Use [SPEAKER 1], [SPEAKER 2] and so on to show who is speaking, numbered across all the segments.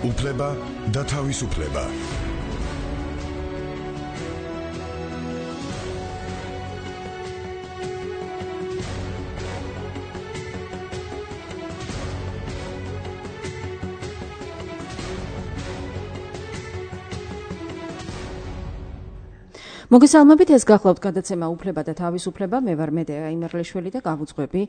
[SPEAKER 1] უფლება და თავისუფლება.
[SPEAKER 2] მოგესალმებით, ეს გახლავთ გადაცემა უფლება და თავისუფლება. მე ვარ მედეა იმერლიშვილი და გავუძღვები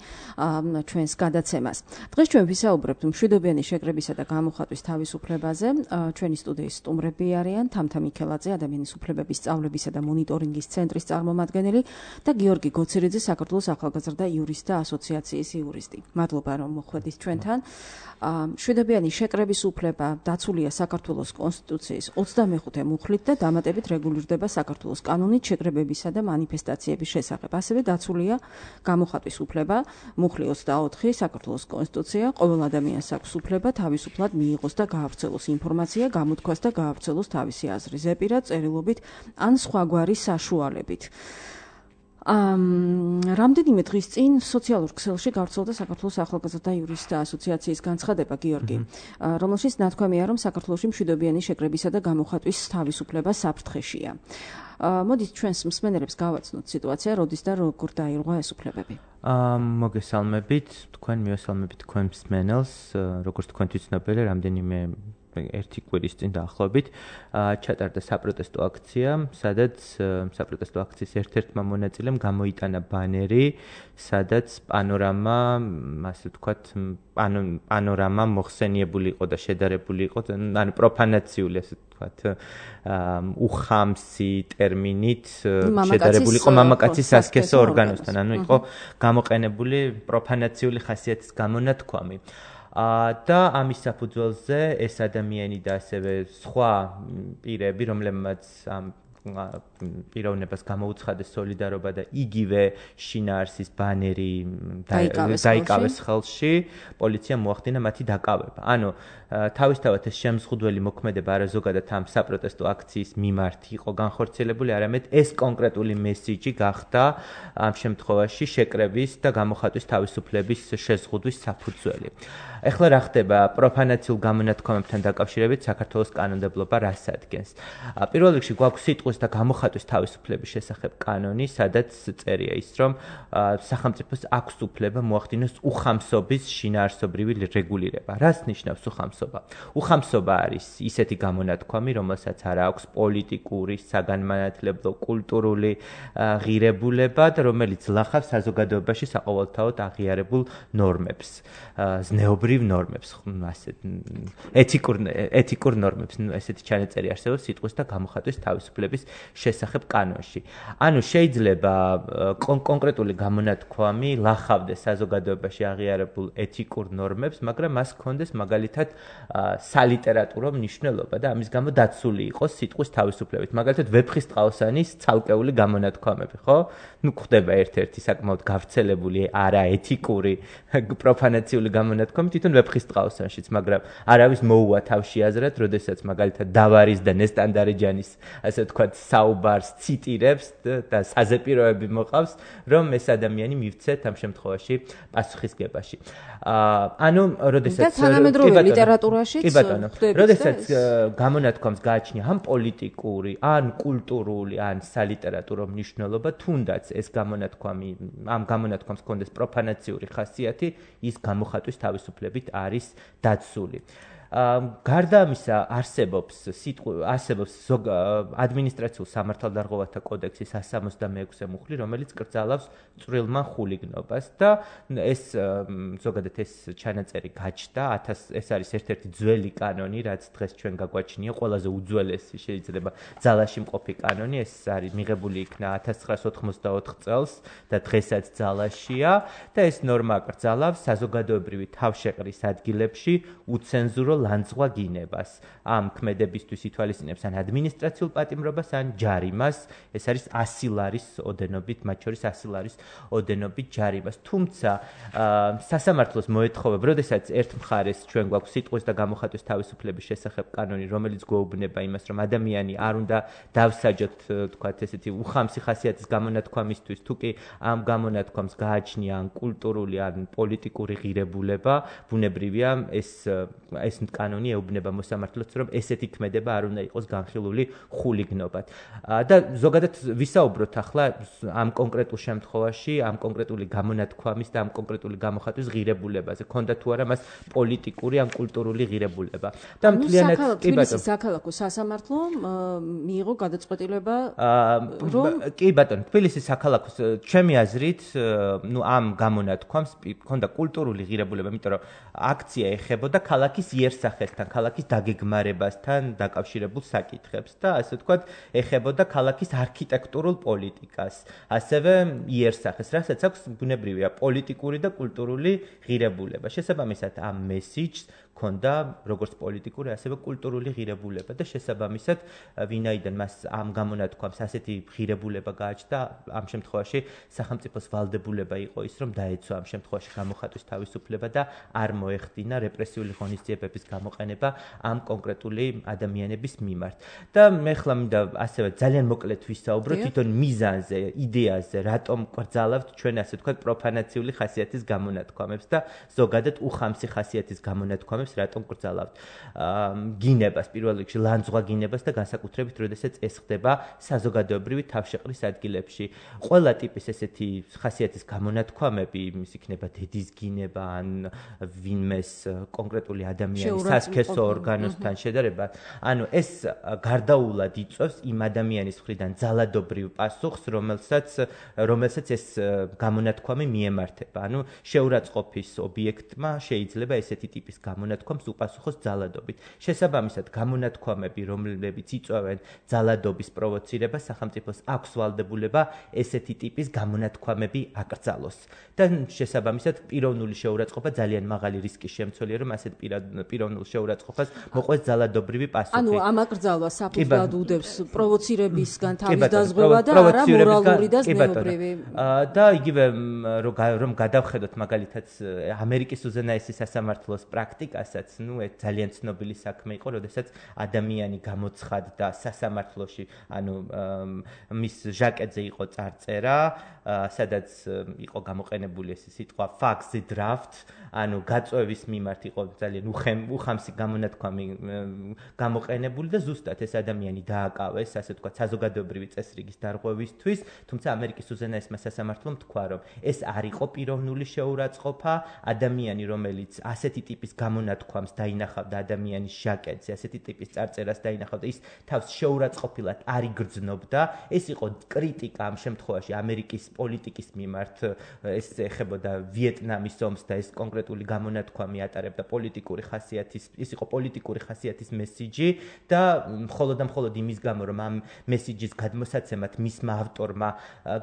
[SPEAKER 2] ჩვენს გადაცემას. დღეს ჩვენ ვისაუბრებთ მშვიდობიანი შეკრებისა და გამოხატვის თავისუფლებაზე. ჩვენი სტუდიის სტუმრები არიან თამთა მიქელაძე, ადამიანის უფლებების სწავლებისა და მონიტორინგის ცენტრის წარმომადგენელი და გიორგი გოცირიძე, საქართველოს ახალგაზრდა იურისტთა ასოციაციის იურისტი. მადლობა, რომ მოხვედით ჩვენთან. მშვიდობიანი შეკრების უფლება დაცულია საქართველოს კონსტიტუციის 25 მუხლით და დამატებით რეგულირდება საქართველოს კანონით შეკრებებისა და მანიფესტაციების შესახებ. ასევე დაცულია გამოხატვის უფლება, მუხლი 24 საქართველოს კონსტიტუცია, ყოველ ადამიანს აქვს უფლება თავისუფლად მიიღოს და გაავრცელოს ინფორმაცია, გამოთქვას და გაავრცელოს თავისი აზრი ზეპირად, წერილობით ან სხვაგვარი საშუალებით. რამდენიმე დღის წინ სოციალურ ქსელში გავრცელდა საქართველოს ახალგაზრდა იურისტთა ასოციაციის განცხადება, გიორგი, რომელშიც ნათქვამია, რომ საქართველოში მშვიდობიანი შეკრებისა და გამოხატვის თავისუფლება საფრთხეშია. მოდით ჩვენს მსმენელებს გავაცნოთ სიტუაცია, როდის და როგორ დაირღვა ეს უფლებები.
[SPEAKER 3] მოგესალმებით, თქვენ მივესალმებით თქვენ მსმენელს, როგორც თქვენთვის ცნობილი, რამდენიმე ერთი კვირის წინ დაახლოებით ჩატარდა საპროტესტო აქცია, სადაც საპროტესტო აქციის ერთ-ერთმა მონაწილემ გამოიტანა ბანერი, სადაც პანორამა, ასე ვთქვათ, პანორამა მოხსენიებული იყო და შედარებული იყო, ანუ პროფანაციული, ასე ვთქვათ, უხამსი ტერმინით შედარებული იყო მამაკაცის სასქესო ორგანოსთან, ანუ იყო გამოყენებული პროფანაციული ხასიათის გამონათქვამი. და ამის საფუძველზე ეს ადამიანი და ასევე სხვა პირები, რომლებმაც ამ პიროვნებას გამოუცხადეს სოლიდარობა და იგივე შინაარსის ბანერი დაიკავეს ხელში, პოლიციამ მოახდინა მათი დაკავება. ანუ თავისთავად ეს შემზღუდველი მოქმედება არაზოგადად ამ საპროტესტო აქციის მიმართ იყო განხორციელებული, არამედ ეს კონკრეტული მესიჯი გახდა ამ შემთხვევაში შეკრების და გამოხატვის თავისუფლების შეზღუდვის საფუძველი. ეხლა რა ხდება პროფანაციულ გამონათქვამებთან დაკავშირებით საქართველოს კანონმდებლობა რას ადგენს? პირველ რიგში გვაქვს სიტყვის და გამოხატვის თავისუფლების შესახებ კანონი, სადაც წერია ის, რომ სახელმწიფოს აქვს უფლება მოახდინოს უხამსობის შინაარსობრივი რეგულირება. რას ნიშნავს უხამსობა? უხამსობა არის ისეთი გამონათქვამი, რომელსაც არ აქვს პოლიტიკური, საგანმანათლებლო, კულტურული ღირებულება და რომელიც ლახავს საზოგადოებაში საყოველთაოდ აღიარებულ ნორმებს, ზნეობრივ ნორმებს, ასე ეთიკურ ნორმებს, ესეთი ჩანაწერი არსებობს სიტყვის და გამოხატვის თავისუფლების შესახებ კანონში. ანუ შეიძლება კონკრეტული გამონათქვამი ლახავდეს საზოგადოებაში აღიარებულ ეთიკურ ნორმებს, მაგრამ მას ჰქონდეს მაგალითად სალიტერატურო მნიშვნელობა და ამის გამო დაცული იყოს სიტყვის თავისუფლებით. მაგალითად ვეფხისტყაოსანის ცალკეული გამონათქვამები, ხო? ნუ ხდება ერთ-ერთი საკმაოდ გავრცელებული არაეთიკური პროფანაციული გამონათქვამი თვითონ ვეფხისტყაოსანშიც, მაგრამ არავის მოუვა თავში აზრად, როდესაც მაგალითად დავარის და ნესტანდარეჯანის, ასე ვთქვათ, საუბარს ციტირებს და საზეპიროები მოყავს, რომ ეს ადამიანი მივცეთ ამ შემთხვევაში პასუხისგებაში. ანუ როდესაც
[SPEAKER 2] და თანამედროვე ლიტერატურაშიც
[SPEAKER 3] როდესაც გამონათქვამს გააჩნია ან პოლიტიკური, ან კულტურული, ან სალიტერატურო მნიშვნელობა, თუნდაც ეს გამონათქვამი, ამ გამონათქვამს ჰქონდეს პროფანაციური ხასიათი, ის გამოხატვის თავისუფლებით არის დაცული. გარდა ამისა არსებობს ადმინისტრაციულ სამართალდარღვევათა კოდექსის 166 მუხლი, რომელიც კრძალავს წვრილმან ხულიგნობას და ეს ზოგადად ეს ჩანაწერი გაჩნდა, ეს არის ერთ-ერთი ძველი კანონი, რაც დღეს ჩვენ გაგვაჩნია, ყველაზე უძველესი შეიძლება ძალაში მყოფი კანონი, ეს არის მიღებული იქნა 1984 წელს და დღესაც ძალაშია და ეს ნორმა კრძალავს საზოგადოებრივი თავშეყრის ადგილებში უცენზურო ლანძღვა გინებას. ამ ქმედებისთვის ითვალისწინებს ან ადმინისტრაციულ პატიმრობას, ან ჯარიმას. ეს არის 100 ლარის ოდენობით, მათ შორის 100 ლარის ოდენობით ჯარიმას. თუმცა სასამართლოს მოეთხოვება, როდესაც ერთ მხარეს ჩვენ გვაქვს სიტყვის და გამოხატვის თავისუფლების შესახებ კანონი, რომელიც გვეუბნება იმას, რომ ადამიანი არ უნდა დავსაჯოთ, თქვათ ესეთი უხამსი ხასიათის გამონათქვამისთვის, თუ კი ამ გამონათქვამს გააჩნია ან კულტურული, ან პოლიტიკური ღირებულება, ბუნებრივია ეს კანონი ეუბნება მოსამართლოს, რომ ესეთი ქმედება არ უნდა იყოს განხილული ხულიგნობად. და ზოგადად ვისაუბროთ ახლა ამ კონკრეტულ შემთხვევაში, ამ კონკრეტული გამონათქვამის და ამ კონკრეტული გამოხატვის ღირებულებაზე. ქონდა თუ არა მას პოლიტიკური ან კულტურული ღირებულება. და მთლიანად
[SPEAKER 2] კი ბატონო, საქალაქო სასამართლო მიიღო გადაწყვეტილება
[SPEAKER 3] კი ბატონო, თბილისის საქალაქოს ჩემი აზრით, ამ გამონათქვამს ქონდა კულტურული ღირებულება, იმიტომ რომ აქცია ეხებოდა ქალაქის იერსახესთან, ქალაქის დაგეგმარებასთან დაკავშირებულ საკითხებს და ასე ვთქვათ, ეხებოდა ქალაქის არქიტექტურულ პოლიტიკას, ასევე იერსახეს, რასაც აქვს ბუნებრივია პოლიტიკური და კულტურული ღირებულება. შესაბამისად, ამ მესიჯს ქონდა როგორც პოლიტიკური, ასევე კულტურული ღირებულება და შესაბამისად, ვინაიდან მას ამ გამონათქვამს ასეთი ღირებულება გააჩნდა, ამ შემთხვევაში სახელმწიფოს ვალდებულება იყო ის, რომ დაეცვა ამ შემთხვევაში გამოხატვის თავისუფლება და არ მოეხდინა რეპრესიული ღონისძიებების გამოყენება ამ კონკრეტული ადამიანების მიმართ. და მე ხლა მინდა ასევე ძალიან მოკლედ ვისაუბრო თვითონ მიზანზე, იდეაზე, რატომ კრძალავთ ჩვენ ასე ვთქვათ პროფანაციული ხასიათის გამონათქვამებს და ზოგადად უხამსი ხასიათის გამონათქვამებს რატომ კრძალავთ გინებას, პირველ რიგში ლანძღვა გინებას და განსაკუთრებით, როდესაც ეს ხდება საზოგადოებრივი თავშეყრის ადგილებში. ყველა ტიპის ესეთი ხასიათის გამონათქვამები, ის იქნება დედის გინება ან ვინმეს კონკრეტული ადამიანის სასქესო ორგანოსთან შედარება, ანუ ეს გარდაულად იწვევს იმ ადამიანის მხრიდან ძალადობრივ პასუხს, რომელსაც ეს გამონათქვამი მიემართება. ანუ შეურაცხყოფის ობიექტმა შეიძლება ესეთი ტიპის გამონათქვამს უპასუხოს ძალადობით. შესაბამისად, გამონათქვამები, რომლებიც იწვევენ ძალადობის პროვოცირებას, სახელმწიფოს აქვს ვალდებულება ესეთი ტიპის გამონათქვამები აკრძალოს. და შესაბამისად, პიროვნული შეურაცხყოფა ძალიან მაღალი რისკის შემცველია, რომ ასეთ პიროვნულ შეურაცხყოფას მოყვეს ძალადობრივი პასუხი.
[SPEAKER 2] ანუ ამ აკრძალვა საფუძვლად უდევს პროვოცირებისგან თავის დაზღვევა და არა მორალური და ზნეობრივი.
[SPEAKER 3] და იგივე რომ გადავხედოთ მაგალითად ამერიკის უზენაესი სასამართლოს პრაქტიკასაც, ეს ძალიან ცნობილი საქმე იყო, როდესაც ადამიანი გამოცხადდა სასამართლოში, ანუ მის ჟაკეტზე იყო წარწერა, სადაც იყო გამოყენებული ეს სიტყვა faxi draft, ანუ გაწვევის მიმართ იყო ძალიან უხამსი გამონათქვამი გამოყენებული და ზუსტად ეს ადამიანი დააკავეს, ასე ვთქვათ, საზოგადოებრივი წესრიგის დარღვევისთვის, თუმცა ამერიკის უზენაესმა სასამართლომ თქვა, რომ ეს არ იყო პიროვნული შეურაცხყოფა, ადამიანი, რომელიც ასეთი ტიპის გამონათქვამს დაინახავდა ადამიანის ჟაკეტზე, ასეთი ტიპის წარწერას დაინახავდა, ის თავს შეურაცხყოფილად არ იგრძნობდა, ეს იყო კრიტიკა ამ შემთხვევაში ამერიკის პოლიტიკის მიმართ, ეს ეხებოდა ვიეტნამის ომს და ეს კონკრეტული გამონათქვამი ატარებდა პოლიტიკური ხასიათის, ის იყო პოლიტიკური ხასიათის მესიჯი და მხოლოდ იმის გამო, რომ ამ მესიჯის გადმოსაცემად მისმა ავტორმა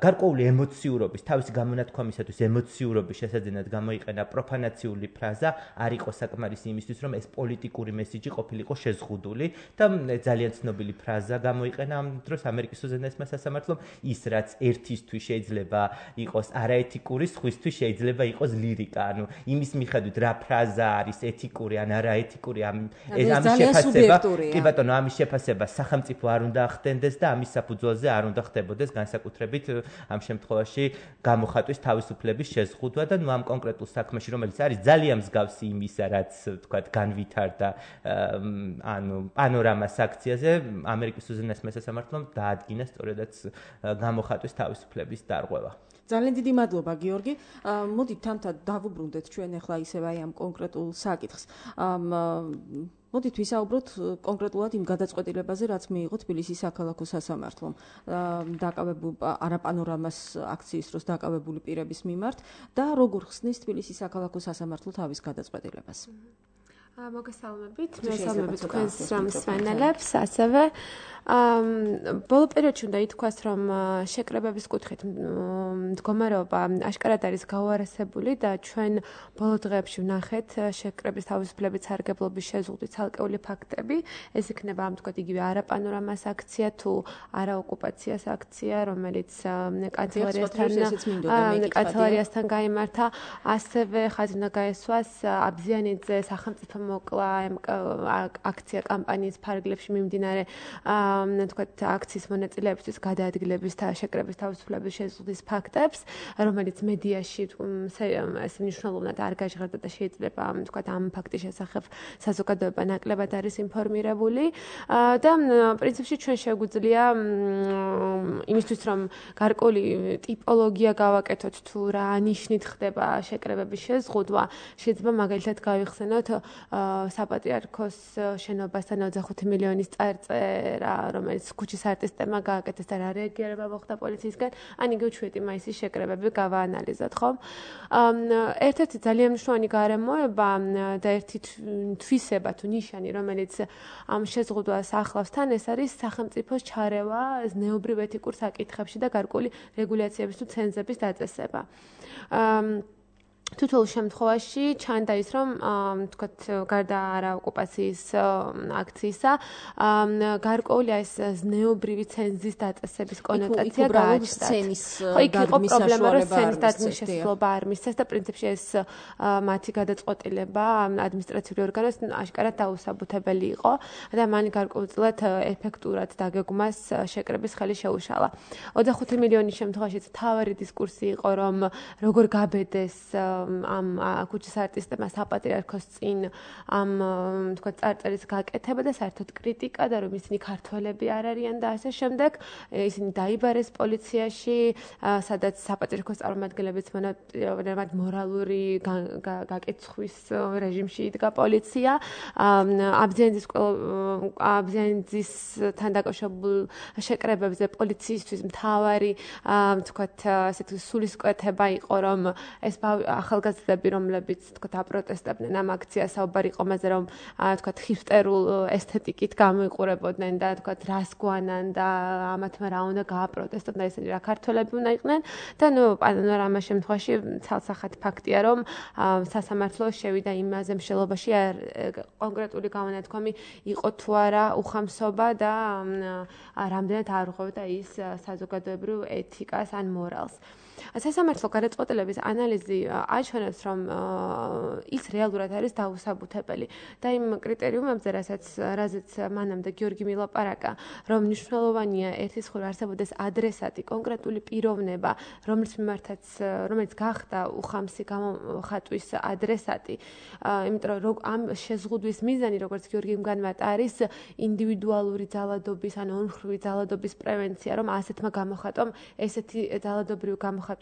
[SPEAKER 3] გარკვეული ემოციურობის, თავისი გამონათქვამისათვის ემოციურობის შესაძენად გამოიყენა პროფანაციული ფრაზა, არ იყო საკმარისი იმისთვის, რომ ეს პოლიტიკური მესიჯი ყოფილიყო შეზღუდული და ძალიან ცნობილი ფრაზა გამოიყენა ამ დროს ამერიკის უზენაესმა სასამართლომ, ის რაც ერთისთვის შეიძლება იყოს არაეთიკური, სხვისთვის შეიძლება იყოს ლირიკა, ანუ იმის მიხედვით რა ფრაზა არის ეთიკური ან არაეთიკური, ამის შეფასება, კი ბატონო, ამის შეფასება სახელმწიფო არ უნდა ახდენდეს და ამის საფუძველზე არ უნდა ხდებოდეს განსაკუთრებით ამ შემთხვევაში გამოხატვის თავისუფლების შეზღუდვა და ამ კონკრეტულ საქმეში, რომელიც არის ძალიან მსგავსი იმისა, რაც ვთქვათ, განვითარდა ანუ პანორამას აქციაზე, ამერიკის უზენაესმა სასამართლომ დაადგინა სწორედაც გამოხატვის თავისუფლების დარღვევა.
[SPEAKER 2] ძალიან დიდი მადლობა, გიორგი. მოდით თამთა დავუბრუნდეთ ჩვენ ახლა ისევ აი ამ კონკრეტულ საკითხს. მოდით ვისაუბროთ კონკრეტულად იმ გადაწყვეტილებაზე, რაც მიიღო თბილისის საქალაქო სასამართლომ არაპანორამას აქციის დროს დაკავებული პირების მიმართ და როგორ ხსნის თბილისის საქალაქო სასამართლო თავის გადაწყვეტილებას.
[SPEAKER 4] მოგესალმებით, მოგესალმებით თქვენს მსმენელებს, ასევე ბოლო პერიოდში უნდა ითქვას, რომ შეკრებების კუთხით მდგომარეობა აშკარად არის გაუარესებული და ჩვენ ბოლო დღეებში ვნახეთ შეკრების თავისუფლების სარგებლობის შეზღუდვის ცალკეული ფაქტები. ეს იქნება ამ თქვათ იგივე არაპანორამას აქცია თუ არაოკუპაციას აქცია, რომელიც კანცელარიასთან გაიმართა, ასევე ხაზი უნდა გაესვას აბზიანიძე სახელმწიფო მოკლა აქცია კამპანიის ფარგლებში მიმდინარე თქვათ აქციის მონაწილეებისთვის გადაადგილების და შეკრების თავისუფლების შეზღუდვის ფაქტებს, რომელიც მედიაში ეს მნიშვნელოვნად არ გაჟღერდა და შეიძლება თქვათ ამ ფაქტის შესახებ საზოგადოება ნაკლებად არის ინფორმირებული და პრინციპში ჩვენ შეგვიძლია იმისთვის რომ გარკვეული ტიპოლოგია გავაკეთოთ თუ რა ნიშნით ხდება შეკრებების შეზღუდვა, შეიძლება მაგალითად გავიხსენოთ საპატრიარქოს შენობასთან 25 მილიონის წარწერა, რომელიც ქუჩის არტისტებმა გააკეთეს და რა რეაგირება მოხდა პოლიციისგან, ან იგივე 7 მაისის შეკრებები გავაანალიზოთ, ხო? ერთ-ერთი ძალიან მნიშვნელოვანი გარემოება და ერთი თვისება თუ ნიშანი, რომელიც ამ შეზღუდვას ახლავს თან, ეს არის სახელმწიფოს ჩარევა ზნეობრივ ეთიკურ საკითხებში და გარკვეული რეგულაციების თუ ცენზების დაწესება. თითოეულ შემთხვევაში ჩანდა ის, რომ თქვათ გარდა არაოკუპაციის აქციისა, გარკვეული ეს ზნეობრივი ცენზის დაწესების კონოტაცია გააჩნდა. ხო, იქ იყო პრობლემა, რომ სცენის დადგმის შესაძლებლობა არ მისცეს და პრინციპში ეს მათი გადაწყვეტილება ადმინისტრაციული ორგანოს აშკარად დაუსაბუთებელი იყო და მან გარკვეულწილად ეფექტურად დაგეგმვას შეკრების ხელი შეუშალა. 25 მილიონის შემთხვევაშიც მთავარი დისკურსი იყო, რომ როგორ გაბედეს ამ ქუჩის არტისტებმა საპატრიარქოს წინ ამ თქვა წარწერის გაკეთება და საერთოდ კრიტიკა და რომ ისინი ქართველები არ არიან და ასე შემდეგ. ისინი დაიბარეს პოლიციაში, სადაც საპატრიარქოს წარმომადგენლებიც მონაწილეობდნენ მორალური გაკეცხვის რეჟიმში იდგა პოლიცია. აბზენძისთან დაკავშირებულ შეკრებებზე პოლიციისთვის მთავარი თქვათ ასეთი სულისკვეთება იყო, რომ ეს ახალგაზრდები, რომლებიც თქვათ აპროტესტებდნენ ამ აქციას, საუბარი იყო მასზე, რომ თქვათ ჰიპსტერულ ესთეტიკით გამოიყურებოდნენ და თქვათ რას გვანან და ამათმა რა უნდა გააპროტესტონ და ესენი რა ქართველები უნდა იყვნენ და პანორამას შემთხვევაში ცალსახად ფაქტია, რომ სასამართლო შევიდა იმაზე მსჯელობაში კონკრეტული გამონათქვამი იყო თუ არა უხამსობა და რამდენად არ უღებდა ის საზოგადოებრივ ეთიკას ან მორალს. სასამართლო გადაწყვეტილების ანალიზი აჩვენებს, რომ ის რეალურად არის დაუსაბუთებელი და იმ კრიტერიუმებზე, რაზეც მანამდე გიორგი მილაპარაკა, რომ მნიშვნელოვანია ერთის მხრივ არსებობდეს ადრესატი, კონკრეტული პიროვნება, რომელიც გახდა უხამსი გამოხატვის ადრესატი, იმიტომ რომ ამ შეზღუდვის მიზანი, როგორც გიორგიმ განმარტა, არის ინდივიდუალური ძალადობის ან ორმხრივი ძალადობის პრევენცია, რომ ასეთმა გამოხატვამ ესეთი ძალადობრივი გამოხატვის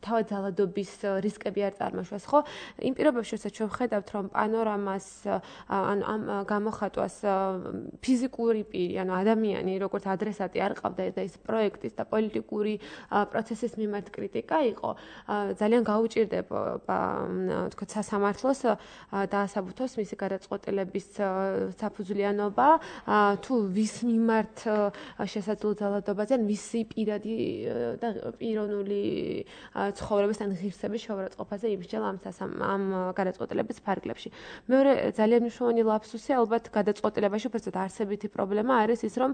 [SPEAKER 4] თავად ძალადობის რისკები არ წარმოშვას, ხო? იმ პირობებში, როცა ჩვენ ვხედავთ, რომ პანორამას ან ამ გამოხატვას ფიზიკური პირი, ანუ ადამიანი, როგორც ადრესატი არ ყავდა და ის პროექტის და პოლიტიკური პროცესის მიმართ კრიტიკა იყო, ძალიან გაუჭირდება თქვა სასამართლოს დაასაბუთოს მისი გადაწყვეტილების საფუძვლიანობა, თუ ვის მიმართ შესაძლო ძალადობაზე, ან ვისი პირადი და პიროვნული ცხოვრების ან ღირსების შეურაცხყოფაზე იმსჯელა ამ გადაწყვეტილების ფარგლებში. მეორე ძალიან მნიშვნელოვანი ლაფსუსი ალბათ გადაწყვეტილებაში უბრალოდ არსებითი პრობლემა არის ის, რომ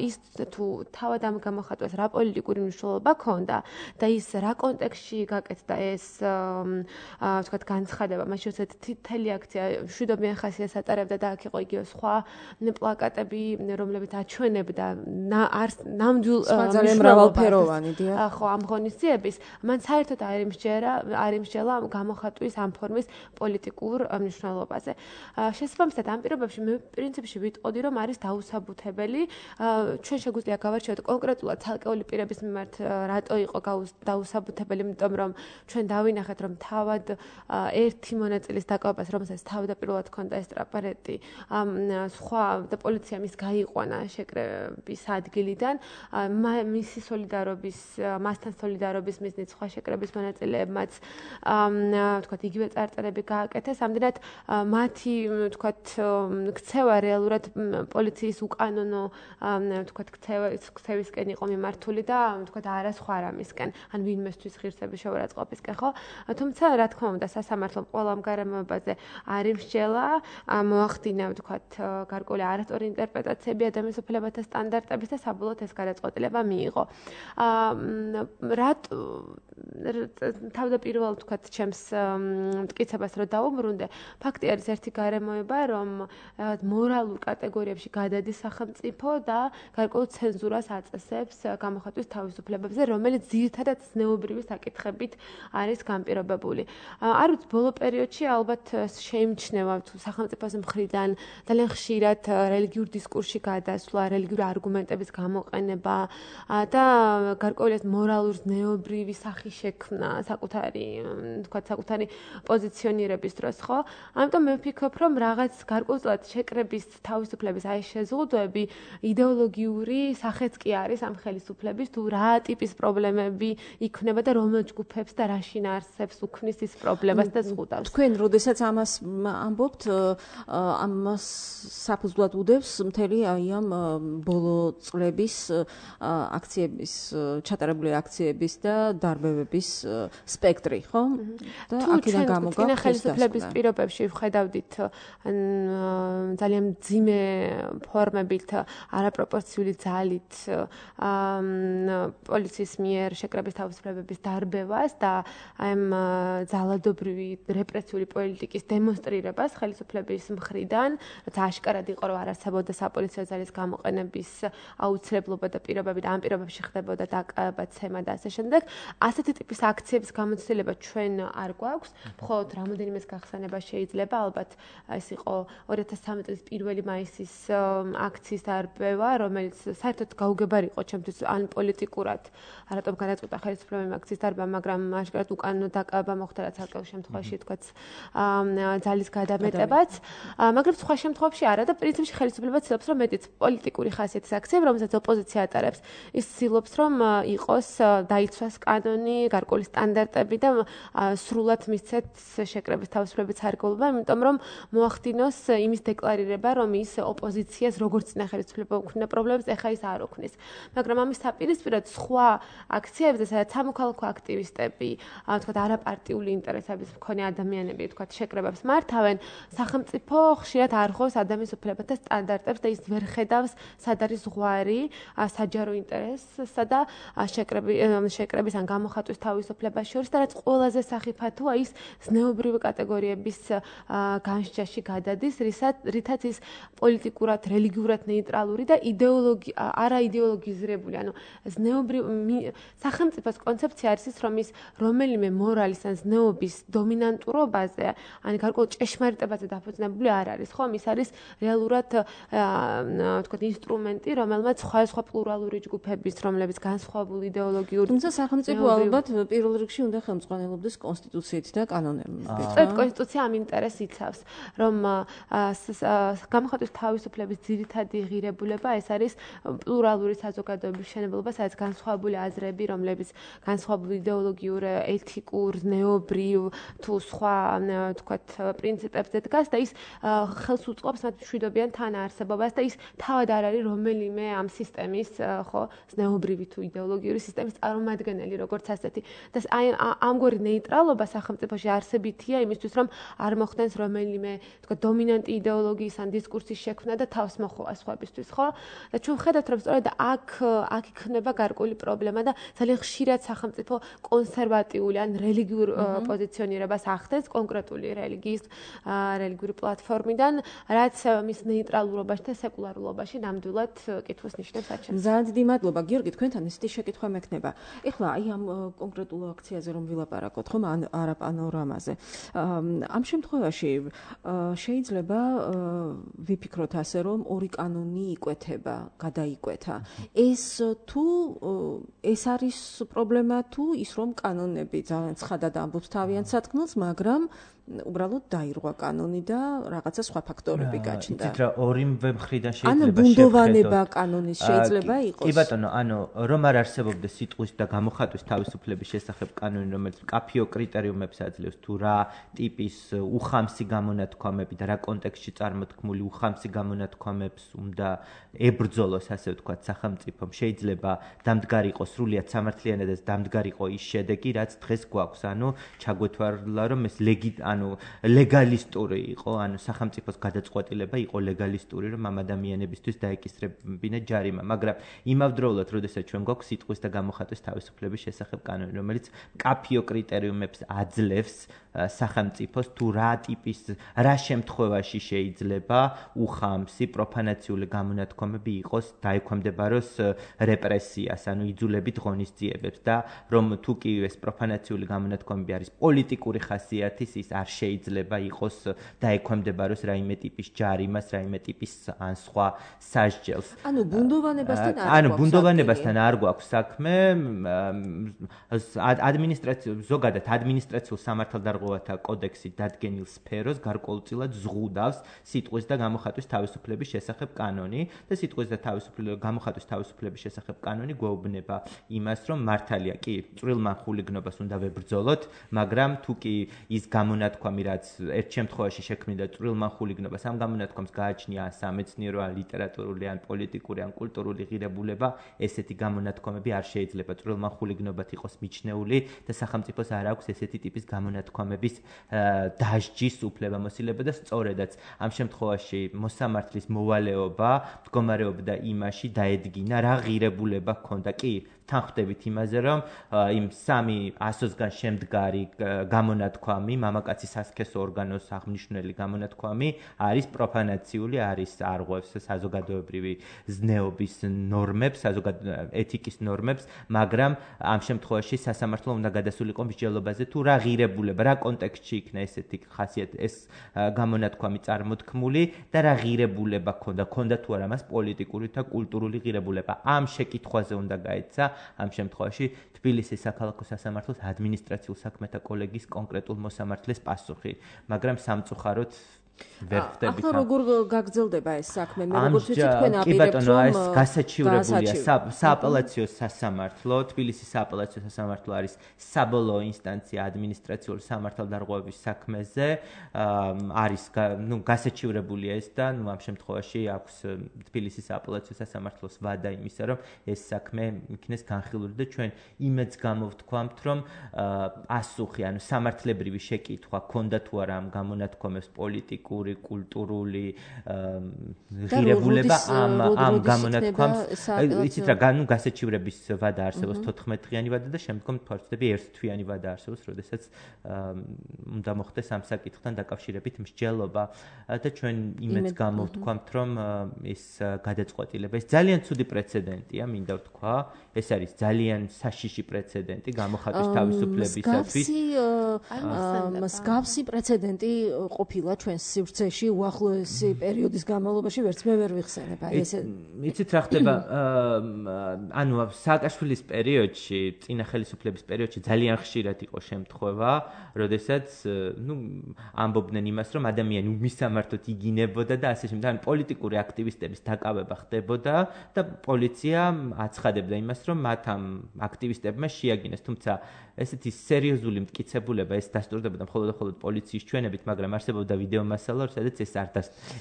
[SPEAKER 4] ის თუ თავად ამ გამოხატვას რა პოლიტიკური მნიშვნელობა ჰქონდა და ის რა კონტექსტში გაკეთდა ეს თქვათ განცხადება, მაშინ როცა თითელი აქცია მშვიდობიან ხასიათს ატარებდა და აქ იყო იგივე სხვა პლაკატები, რომლებიც აჩვენებდა ნამდვილ
[SPEAKER 2] ძალიან მრავალფეროვანი დიახ.
[SPEAKER 4] ხო, ამ ღონისძიების, მან საერთოდ არ იმსჯელა გამოხატვის ამ ფორმის პოლიტიკურ მნიშვნელობაზე. შესაბამისად, ამ პირობებში მე პრინციპში ვიტყოდი, რომ არის დაუსაბუთებელი. ჩვენ შეგვიძლია გავარჩიოთ კონკრეტულად ცალკეული პირების მიმართ რატო იყო დაუსაბუთებელი, იმიტომ რომ ჩვენ დავინახეთ, რომ თავად ერთი მონაწილის დაკავებას, რომელსაც თავდაპირველად ჰქონდა ეს ტრაპარეტი, სხვა და პოლიცია მის გაიყვანა შეკრების ადგილიდან, მისი სოლიდარობის, მასთან სოლიდარობის მიზნით სხვა შეკრების მონაწილეებმაც თქვათ იგივე წარწერები გააკეთეს, ამდენად მათი თქვათ ქცევა რეალურად პოლიციის უკანონო თქვათ ქცევისკენ იყო მიმართული და თქვათ არა სხვა რამისკენ, ან ვინმესთვის ღირსების შეურაცხყოფისკენ, ხო? თუმცა რა თქმა უნდა, სასამართლომ ყველა ამ გარემოებაზე არ იმსჯელა, მოახდინა თქვათ გარკვეული არასწორი ინტერპრეტაციები ადამიანის უფლებათა სტანდარტების და საბოლოოდ ეს გადაწყვეტილება მიიღო. თავდაპირველად თქვათ ჩემს მტკიცებას რომ დავუბრუნდე, ფაქტი არის ერთი გარემოება, რომ მორალურ კატეგორიებში გადადის სახელმწიფო და გარკვეულ ცენზურას აწესებს გამოხატვის თავისუფლებებზე, რომელიც ძირითადად ზნეობრივი საკითხებით არის განპირობებული. არ ვიცი, ბოლო პერიოდში ალბათ შეიმჩნევა თუ სახელმწიფოს მხრიდან ძალიან ხშირად რელიგიურ დისკურსში გადასვლა, რელიგიური არგუმენტების გამოყენება და გარკვეული მორალურ ზნეობრივი სახის შექმნა საკუთარი პოზიციონირების დროს, ხო? ამიტომ მე ვფიქრობ, რომ რაღაც გარკვეულწილად შეკრების თავისუფლების აი შეზღუდვები იდეოლოგიური სახეც კი არის ამ ხელისუფლების, თუ რა ტიპის პრობლემები იქნება და რომელ ჯგუფებს და რა შინაარსებს უქმნის ის პრობლემას და ზღუდავს.
[SPEAKER 2] თქვენ როდესაც ამას ამბობთ, ამას საფუძვლად უდევს მთელი აი ამ ბოლო წლების აქციების, ჩატარებული აქციების და დარბევების სპექტრი, ხო? და აქედან გამოგაქვს
[SPEAKER 4] ხელისუფლების პირობებში ვხედავდით ძალიან მძიმე ფორმებით, არაპროპორციული ძალით პოლიციის მიერ შეკრების თავისუფლებების დარბევას და ამ ძალადობრივი რეპრესიული პოლიტიკის დემონსტრირებას ხელისუფლების მხრიდან, რაც აშკარად იყო, რომ არ არსებობდა საპოლიციო ძალის გამოყენების აუცილებლობა და პირობები და ამ პირობებში ხდებოდა დაკავება და ასე შემდეგ. ასეთი ტიპის აქციების გამოცდილება ჩვენ არ გვაქვს, მხოლოდ რამოდენიმეს გახსენება შეიძლება, ალბათ ეს იყო 2013 წლის 1 მაისის აქციის დარბევა, რომელიც საერთოდ გაუგებარი იყო ჩემთვის ან პოლიტიკურად, რატომ გადაწყვიტა ხელისუფლებამ აქციის დარბევა, მაგრამ აშკარად უკანონო დაკავება მოხდა, რაც არკეულ შემთხვევაში თქვაც ძალის გადამეტებაც, მაგრამ სხვა შემთხვევებში არა და პრინციპში ხელისუფლება ცდილობს, რომ მეტიც პოლიტიკური ხასიათის აქციები, რომელსაც ოპოზიცია ატარებს, ის ცდილობს, რომ იყოს დაიცვას კანონი, გარკვეული სტანდარტები და სრულად მისცეთ შეკრების თავისუფლების სარგებლობა, იმიტომ რომ მოახდინოს იმის დეკლარირება, რომ ის ოპოზიციას როგორც წინა ხელისუფლება უქმნა პრობლემებს, ეხა ის არ უქმნის. მაგრამ ამის საპირისპიროდ სხვა აქციებზე, სადაც სამოქალაქო აქტივისტები, თქვათ არაპარტიული ინტერესების მქონე ადამიანები, თქვათ შეკრებებს მართავენ, სახელმწიფო ხშირად არ ხოვს ადამიანის უფლებათა სტანდარტებს და ის ვერ ხედავს სად არის ზღვარი საჯარო ინტერესსა და შეკრების ან გამოხატვის თავისუფლებას შორის და რაც ყველაზე სახიფათოა ის ზნეობრივი კატეგორიების განსჯაში გადადის, რითაც ის პოლიტიკურად, რელიგიურად ნეიტრალური და არაიდეოლოგიზირებული, ანუ სახელმწიფოს კონცეფცია არის ის, რომ ის რომელიმე მორალის ან ზნეობის დომინანტურობაზე, ან გარკვეულ ჭეშმარიტებაზე დაფუძნებული არ არის, ხო? ის არის რეალურად თქვათ ინსტრუმენტი, რომელმაც სხვა პლურალური ჯგუფების, რომლებიც განსხვავებული იდეოლოგიური,
[SPEAKER 2] თუმცა სახელმწიფო ალბათ პირველ რიგში უნდა ხელმძღვანელობდეს კონსტიტუციით და კანონებით.
[SPEAKER 4] კონსტიტუცია ამ ინტერესს იცავს, რომ გამოხატვის თავისუფლების ძირითადი ღირებულება ეს არის პლურალური საზოგადოების მშენებლობა, სადაც განსხვავებული აზრები, რომლებიც განსხვავებული იდეოლოგიურ, ეთიკურ, ზნეობრივ თუ სხვა თქვათ პრინციპებზე დგას და ის ხელს უწყობს მათ მშვიდობიან თანაარსებობას და ის თავად არ არის რომელიმე ამ სისტემის, ხო, ზნეობრივი თუ იდეოლოგიური სისტემის წარმომადგენელი, როგორც ასეთი. და აი ამგვარი ნეიტრალობა სახელმწიფოში არსებითია იმისთვის, რომ არ მოხდენს რომელიმე, თქვა, დომინანტი იდეოლოგიის ან დისკურსის შექმნა და თავს მოხოვა სხვებისთვის, ხო? და ჩვენ ვხედავთ, რომ სწორედ აქ იქნება გარკვეული პრობლემა და ძალიან ხშირად სახელმწიფო კონსერვატიული ან რელიგიურ პოზიციონირებას ახდენს კონკრეტული რელიგიური პლატფორმიდან, რაც მის ნეიტრალურობაში და სეკულარულობაში ნამდვილად კითხვის ნიშნებს აჩენს.
[SPEAKER 2] ძალიან დიდი მადლობა, გიორგი, თქვენთან ესეთი შეკითხვა მექნება. ეხლა აი ამ კონკრეტულ აქციაზე რომ ვილაპარაკოთ, ხომ, არაპანორამაზე. ამ შემთხვევაში შეიძლება ვიფიქროთ ასე, რომ ორი კანონი იკვეთება, გადაიკვეთა. ეს არის პრობლემა თუ ის რომ კანონები ძალიან ცხადად ამბობს თავიანთ სათქმელს, მაგრამ უბრალოდ დაირღვა კანონი და რაღაცა სხვა ფაქტორები გაჩნდა.
[SPEAKER 3] იცით რა, ორივე მხრიდან შეიძლება
[SPEAKER 2] ანუ ბუნდოვანება კანონის შეიძლება იყოს.
[SPEAKER 3] კი ბატონო, ანუ რომ არ არსებობდეს სიტყვის და გამოხატვის თავისუფლების შესახებ კანონი, რომელიც მკაფიო კრიტერიუმებს აძლევს, თუ რა ტიპის უხამსი გამონათქვამები და რა კონტექსტში წარმოთქმული უხამსი გამონათქვამებს უნდა ებრძოლოს, ასე ვთქვათ, სახელმწიფომ, შეიძლება დამდგარი იყოს სრულიად სამართლიანად და დამდგარი იყოს ის შედეგი, რაც დღეს გვაქვს. ანუ ჩაგვეთვალა, რომ ეს ანუ ლეგალისტური იყო, ანუ სახელმწიფოს გადაწყვეტილება იყო ლეგალისტური, რომ ამ ადამიანებისთვის დაეკისრებინა ჯარიმა, მაგრამ იმავდროულად, როდესაც ჩვენ გვაქვს სიტყვის და გამოხატვის თავისუფლების შესახებ კანონი, რომელიც მკაფიო კრიტერიუმებს აძლევს სახელმწიფოს თუ რა შემთხვევაში შეიძლება უხამსი პროფანაციული გამონათქვამები იყოს დაექვემდებაროს რეპრესიას, ანუ იძულებით ღონისძიებებს და რომ თუ კი ეს პროფანაციული გამონათქვამები არის პოლიტიკური ხასიათის, ის არ შეიძლება იყოს დაექვემდებაროს რაიმე ტიპის ჯარიმას, რაიმე ტიპის ან სხვა სასჯელს.
[SPEAKER 2] ანუ ბუნდოვანებასთან
[SPEAKER 3] არ გვაქვს საქმე. ზოგადად ადმინისტრაციულ სამართალდარღვევათა კოდექსი დადგენილ სფეროს გარკვეულწილად ზღუდავს სიტყვის და გამოხატვის თავისუფლების შესახებ კანონი და სიტყვის და გამოხატვის თავისუფლების შესახებ კანონი გვეუბნება იმას, რომ მართალია კი წვრილმა ხულიგნობას უნდა ვებრძოლოთ, მაგრამ თუ კი ის გამონათქვამი, რაც ერთ შემთხვევაში შექმნიდა წვრილმა ხულიგნობას, ამ გამონათქვამს გააჩნია სამეცნიერო, ან ლიტერატურული, ან პოლიტიკური, ან კულტურული ღირებულება, ესეთი გამონათქვამები არ შეიძლება წვრილმა ხულიგნობად იყოს მიჩნეული და სახელმწიფოს არ აქვს ესეთი ტიპის გამონათქვამების დასჯის უფლებამოსილება და სწორედაც ამ შემთხვევაში მოსამართლის მოვალეობა მდგომარეობდა იმაში დაედგინა რა ღირებულება ჰქონდა. კი თანხმდებით იმაზე, რომ იმ 300-სგან შემდგარი გამონათქვამი, მამაკაცის სასქესო ორგანოს აღმნიშვნელი გამონათქვამი არის პროფანაციული, არის არღვევს საზოგადოებრივი ზნეობის ნორმებს, ეთიკის ნორმებს, მაგრამ ამ შემთხვევაში სასამართლო უნდა გადასულიყო მსჯელობაზე თუ რა ღირებულება, რა კონტექსტში იქნა ესეთი ხასიათი ეს გამონათქვამი წარმოთქმული და რა ღირებულება ჰქონდა თუ არა მას პოლიტიკური და კულტურული ღირებულება. ამ შეკითხვაზე უნდა გაეცა ამ შემთხვევაში თბილისის საქალაქო სასამართლოს ადმინისტრაციულ საქმეთა კოლეგიის კონკრეტულ მოსამართლეს პასუხი, მაგრამ სამწუხაროდ ვერ ხდებით.
[SPEAKER 2] ახლა როგორ გაგრძელდება ეს საქმე? მე როგორც ვიცი, თქვენ აპირებთ რომ
[SPEAKER 3] ეს გასაჩივრებულია სააპელაციო სასამართლო, თბილისის სააპელაციო სასამართლო არის საბოლოო ინსტანცია ადმინისტრაციული სამართალდარღვევების საქმეზე, არის გასაჩივრებულია ეს და ამ შემთხვევაში აქვს თბილისის სააპელაციო სასამართლოს ვადა იმისა, რომ ეს საქმე იქნეს განხილული და ჩვენ იმედს გამოვთქვამთ, რომ პასუხი, ანუ სამართლებრივი შეკითხვა ქონდა თუ არა ამ გამონათქვამებს პოლიტიკური, კულტურული ღირებულება ამ გამონათქვამს, იცით რა, გასაჩივრების ვადა არსებობს 14-დღიანი ვადა და შემდგომ თვალწოდები 1 თვიანი ვადა არსებობს, როდესაც უნდა მოხდეს ამ საკითხთან დაკავშირებით მსჯელობა და ჩვენ იმედს გამოვთქვამთ, რომ ეს გადაწყვეტილება, ეს ძალიან ცუდი პრეცედენტია, მინდა ვთქვა, ეს არის ძალიან საშიში პრეცედენტი გამოხატვის თავისუფლებისათვის.
[SPEAKER 2] მსგავსი პრეცედენტი ყოფილა ჩვენს სივრცეში უახლოესი პერიოდის განმავლობაში, ვერც მე ვერ ვიხსენებ.
[SPEAKER 3] იცით რა ხდება, ანუ სააკაშვილის პერიოდში, წინა ხელისუფლების პერიოდში ძალიან ხშირად იყო შემთხვევა, როდესაც ამბობდნენ იმას, რომ ადამიანი მისამართოდ იგინებოდა და ასე შემდეგ, ანუ პოლიტიკური აქტივისტების დაკავება ხდებოდა და პოლიცია აცხადებდა იმას, რომ მათ ამ აქტივისტებმა შეაგინეს, თუმცა ესეთი სერიოზული მტკიცებულება ეს დასტურდებოდა მხოლოდ პოლიციის ჩვენებით, მაგრამ არსებობდა ვიდეო მასალა, სადაც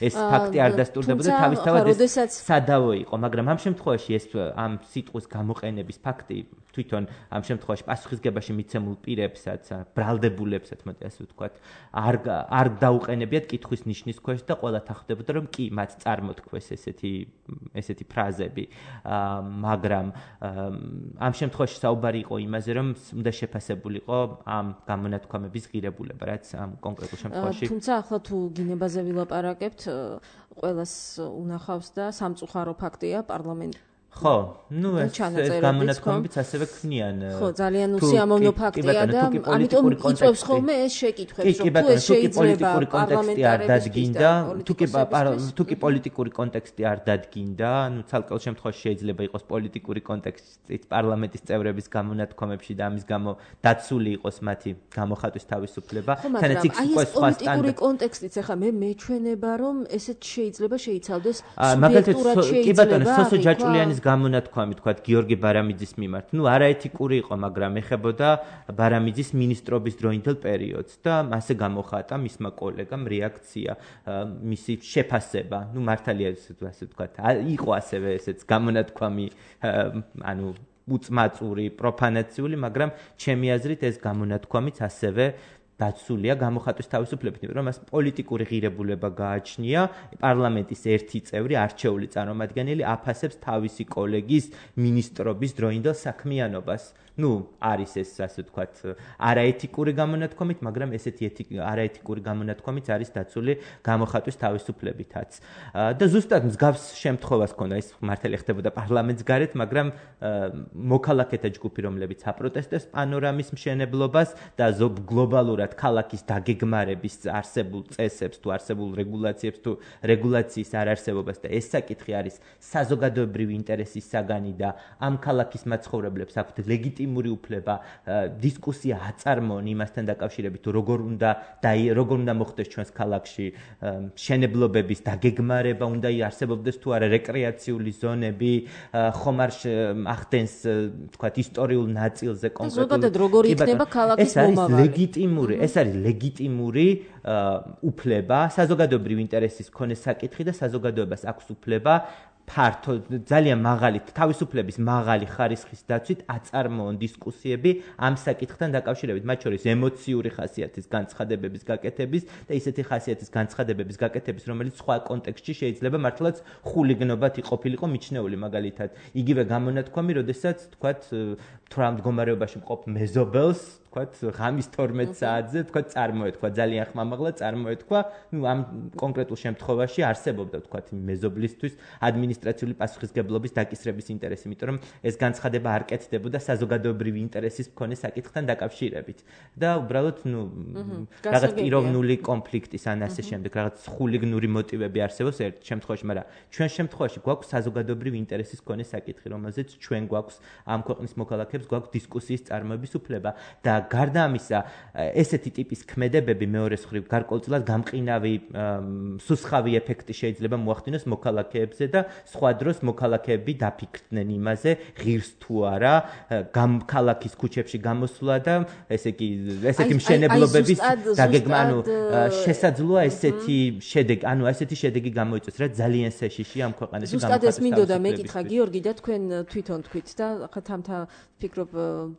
[SPEAKER 3] ეს ფაქტი არ დასტურდებოდა, თავისთავად ეს სადავო იყო, მაგრამ ამ შემთხვევაში ეს ამ სიტყვის გამოყენების ფაქტი თვითონ ამ შემთხვევაში პასუხისგებაში მიცემულ პირებსაც, ბრალდებულებსაც, მოდი ასე ვთქვათ, არ დაუყენებიათ კითხვის ნიშნის ქვეშ და ყველა თანხმდებოდა, რომ კი მათ წარმოთქვეს ესეთი ფრაზები, მაგრამ ამ შემთხვევაში საუბარი იყო იმაზე, რომ უნდა შეფასებულიყო ამ გამონათქვამების ღირებულება, რაც ამ კონკრეტულ შემთხვევაში.
[SPEAKER 2] თუმცა ახლა თუ გინებაზე ვილაპარაკებთ, ყველას უნახავს და სამწუხარო ფაქტია პარლამენტი.
[SPEAKER 3] ხო, ეს გამონათქვამებიც ასევე ქმნიან.
[SPEAKER 2] ხო, ძალიან უსიამოვნო ფაქტია და ამიტომ იწვევს ხოლმე ეს შეკითხვებს, რომ თუ ეს შეიძლება
[SPEAKER 3] თუ კი პოლიტიკური კონტექსტი არ დადგინდა, ანუ ცალკეულ შემთხვევაში შეიძლება იყოს პოლიტიკური კონტექსტიც პარლამენტის წევრების გამონათქვამებში და ამის გამო დაცული იყოს მათი გამოხატვის თავისუფლება,
[SPEAKER 2] თანაც იქ სხვა პოლიტიკური კონტექსტიც ახლა მე მეჩვენება, რომ ესეც შეიძლება შეიცავდეს სუბიექტურად შეიძლება.
[SPEAKER 3] კი ბატონო, სოსო ჯაჭულიანის გამონათქვამი თქვათ გიორგი ბარამიძის მიმართ. არაეთიკური იყო, მაგრამ ეხებოდა ბარამიძის ministrობის დროინდელ პერიოდს და მასე გამოხატა მისმა კოლეგამ რეაქცია, მისი შეფასება. მართალია ასე ვთქვათ, იყო ასევე ესეც გამონათქვამი, უწმაწური, პროფანაციული, მაგრამ ჩემი აზრით ეს გამონათქვამიც ასევე დაცულია გამოხატვის თავისუფლებით, იმიტომ რომ მას პოლიტიკური ღირებულება გააჩნია, პარლამენტის ერთი წევრი არჩეული წარმომადგენელი აფასებს თავისი კოლეგის მინისტრობის დროინდელ საქმიანობას. არის ეს ასე ვთქვათ, არაეთიკური გამონათქვამით, მაგრამ ესეთი არაეთიკური გამონათქვამით არის დაცული გამოხატვის თავისუფლებითაც. და ზუსტად მსგავს შემთხვევას ჰქონდა, ეს მართალი ხდებოდა პარლამენტის გარეთ, მაგრამ მოქალაქეთა ჯგუფი, რომლებიც აპროტესტებს პანორამის მშენებლობას და გლობალურად ქალაქის დაგეგმარების არსებულ წესებს თუ არსებულ რეგულაციებს თუ რეგულაციის არარსებობას და ეს საკითხი არის საზოგადოებრივი ინტერესის საგანი და ამ ქალაქის მაცხოვრებლებს აქვთ ლეგიტიმური უფლება დისკუსია აწარმოონ იმასთან დაკავშირებით თუ როგორ უნდა მოხდეს ჩვენს ქალაქში მშენებლობების დაგეგმარება, უნდა იარსებობდეს თუ არა რეკრეაციული ზონები, ხომ არ ახდენს თქვათ ისტორიულ ნაწილზე კონკრეტულ
[SPEAKER 2] ზოგადად როგორ იქნება ქალაქის მომავალი.
[SPEAKER 3] ეს არის ლეგიტიმური უფლება, საზოგადოებრივი ინტერესის მქონე საკითხი და საზოგადოებას აქვს უფლება ფართო ძალიან მაღალი თავისუფლების მაღალი ხარისხის დაცვით აწარმოონ დისკუსიები ამ საკითხთან დაკავშირებით, მათ შორის ემოციური ხასიათის განცხადებების გაკეთების და ისეთი ხასიათის განცხადებების გაკეთების, რომელიც სხვა კონტექსტში შეიძლება მართლაც ხულიგნობად ყოფილიყო მიჩნეული, მაგალითად, იგივე გამონათქვამი, როდესაც თქვათ თუ რა მდგომარეობაში მყოფ მეზობელს თქვათ ღამის 12 საათზე თქვათ წარმოეთქვა ძალიან ხმამაღლა წარმოეთქვა ამ კონკრეტულ შემთხვევაში არსებობდა თქვათ მეზობლისთვის ადმინისტრაციული პასუხისგებლობის დაკისრების ინტერესი, იმიტომ რომ ეს განცხადება არ კეთდებოდა საზოგადოებრივი ინტერესის მქონე საკითხთან დაკავშირებით და უბრალოდ რაღაც პიროვნული კონფლიქტის ან ასე შემდეგ რაღაც ხულიგნური მოტივები არსებობს ერთ შემთხვევაში, მაგრამ ჩვენ შემთხვევაში გვაქვს საზოგადოებრივი ინტერესის მქონე საკითხი, რომელზეც ჩვენ გვაქვს ამ ქვეყნის მოქალაქეებს გვაქვს დისკუსიის წარმოების უფლება და გარდა ამისა, ესეთი ტიპის ქმედებები მეორეს მხრივ გარკვეულწილად გამყინავი სუსხავი ეფექტი შეიძლება მოახდინოს მოქალაქეებზე და სხვა დროს მოქალაქეები დაფიქრდნენ იმაზე, ღირს თუ არა ქალაქის ქუჩებში გამოსვლა და ესეთი მშენებლობების დაგეგმა, შესაძლოა ესეთი შედეგი გამოიწვიოს, რაც ძალიან საშიში ამ ქვეყანაში
[SPEAKER 2] გამოხატვის. ზუსტად ეს მინდოდა მეკითხა გიორგი და თქვენ თვითონ თქვით და ხათამთა ფიქრობ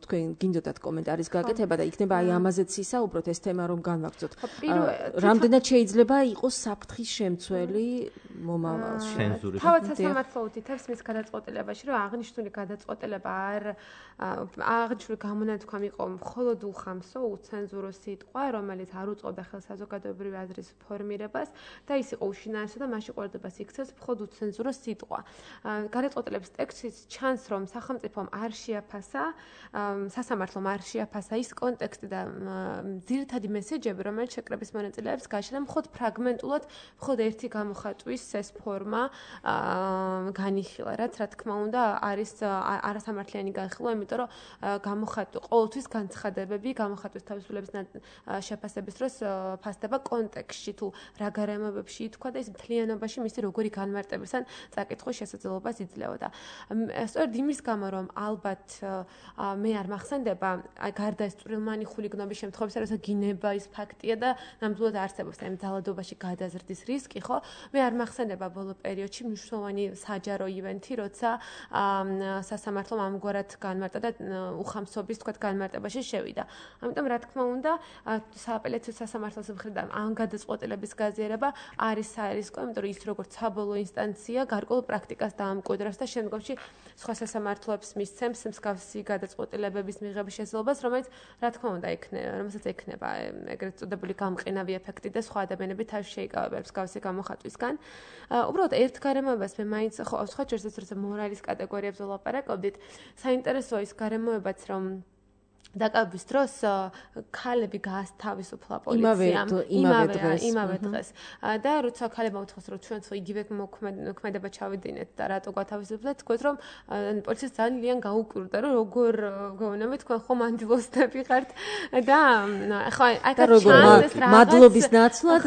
[SPEAKER 2] თქვენ გინდოდათ კომენტარის გაკეთება და იქნება აი ამაზეც ისაუბროთ ეს თემა რომ განვაგრძოთ. რამდენად შეიძლება იყოს საფრთხის შემცველი მომავალში?
[SPEAKER 4] თავად სასამართლო უთითებს მის გადაწყვეტილებაში, რომ აღნიშნული გადაწყვეტილება აღნიშნული გამონათქვამი იყო მხოლოდ უხამსო, უცენზურო სიტყვა, რომელიც არ უწყობდა ხელს საზოგადოებრივი აზრის ფორმირებას და ის იყო უშინაესო და მასში ყურადღებას იქცევს მხოლოდ უცენზურო სიტყვა. გადაწყვეტილების ტექსტից ჩანს, რომ სახელმწიფომ არ შეაფასა, სასამართლომ არ შეაფასა ის კონტექსტი და ძირითადი მესეჯები, რომელიც შეკრების მონაწილეებს გააჩნდა მხოლოდ ფრაგმენტულად, მხოლოდ ერთი გამოხატვის ეს ფორმა განიხილა, რაც რა თქმა უნდა არის არასამართლიანი განხილვა, იმიტომ რომ ყოველთვის განცხადებები გამოხატვის თავისუფლების შეფასების დროს ფასდება კონტექსტში თუ რა გარემოებებში ითქვა და ის მთლიანობაში მისი როგორი განმარტების ან წაკითხვის შესაძლებლობას იძლეოდა. სწორედ იმის გამო რომ ალბათ მე არ მახსენდება გარდა ეს წვრილმანი ხულიგნობის შემთხვევებისა, როცა გინება ის ფაქტია და ნამდვილად არსებობს ამ ძალადობაში გადაზრდის რისკი, ხო? მე არ მახსენდება ბოლო პერიოდში მნიშვნელოვანი საჯარო ივენთი, როცა სასამართლომ ამგვარად განმარტა და უხამსობის თქვათ განმარტებაში შევიდა. ამიტომ რა თქმა უნდა, სააპელაციო სასამართლოს მხრიდან ამ გადაწყვეტილების გაზიარება არის საერისკო, იმიტომ რომ ის როგორც საბოლოო ინსტანცია გარკვეულ პრაქტიკას დაამკვიდრებს და შემდგომში სხვა სასამართლოებს მისცემს მსგავსი გადაწყვეტილებების მიღების შესაძლებლობას, რომელიც რა თქმა უნდა რომელსაც ექნება ეგრეთ წოდებული გამყინავი ეფექტი და სხვა ადამიანები თავში შეიკავებენ მსგავსი გამოხატვისგან. უბრალოდ ერთ გარემოებას მე მაინც სხვა შორისას როცა მორალის კატეგორიებზე ვლაპარაკობდით, საინტერესოა ის გარემოებაც რომ დაკავების დროს ქალები გაასთავისუფლა პოლიციამ იმავე დღეს და როცა ქალებმა უთხრეს რომ ჩვენც იგივე მოქმედება ჩავიდინეთ და რატო გათავისუფლეთ, თქვენ რომ პოლიციას ძალიან გაუკვირდა რომ როგორ გეუბნები თქვენ ხომ ანდილოსტები ხართ და ხო აი ჩანდეს რა
[SPEAKER 2] მადლობის ნაცვლად